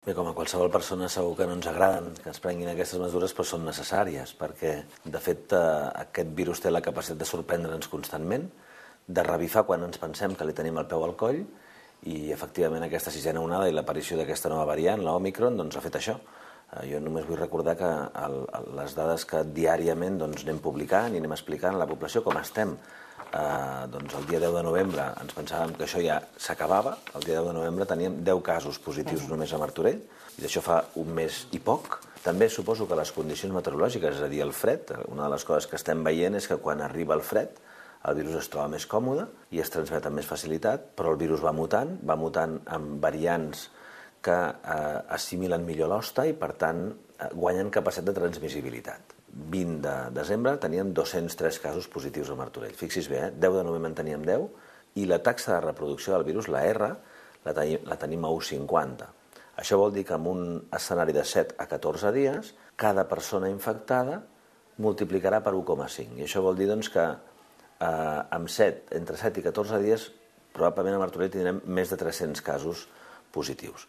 Bé, com a qualsevol persona segur que no ens agraden que es prenguin aquestes mesures, però són necessàries, perquè, de fet, aquest virus té la capacitat de sorprendre'ns constantment, de revifar quan ens pensem que li tenim el peu al coll, i, efectivament, aquesta sisena onada i l'aparició d'aquesta nova variant, l'Òmicron, doncs ha fet això. Jo només vull recordar que les dades que diàriament anem publicant i anem explicant a la població com estem. El dia 10 de novembre ens pensàvem que això ja s'acabava. El dia 10 de novembre teníem 10 casos positius només a Martorell, i d'això fa un mes i poc. També suposo que les condicions meteorològiques, és a dir, el fred, una de les coses que estem veient és que quan arriba el fred el virus es troba més còmode i es transmet amb més facilitat, però el virus va mutant amb variants que assimilen millor l'hoste i, per tant, guanyen capacitat de transmissibilitat. 20 de desembre teníem 203 casos positius a Martorell. Fixi's bé, 10 de novembre en teníem 10, i la taxa de reproducció del virus, la R, la tenim a 1,50. Això vol dir que en un escenari de 7 a 14 dies, cada persona infectada multiplicarà per 1,5. I això vol dir que entre 7 i 14 dies, probablement a Martorell tindrem més de 300 casos positius.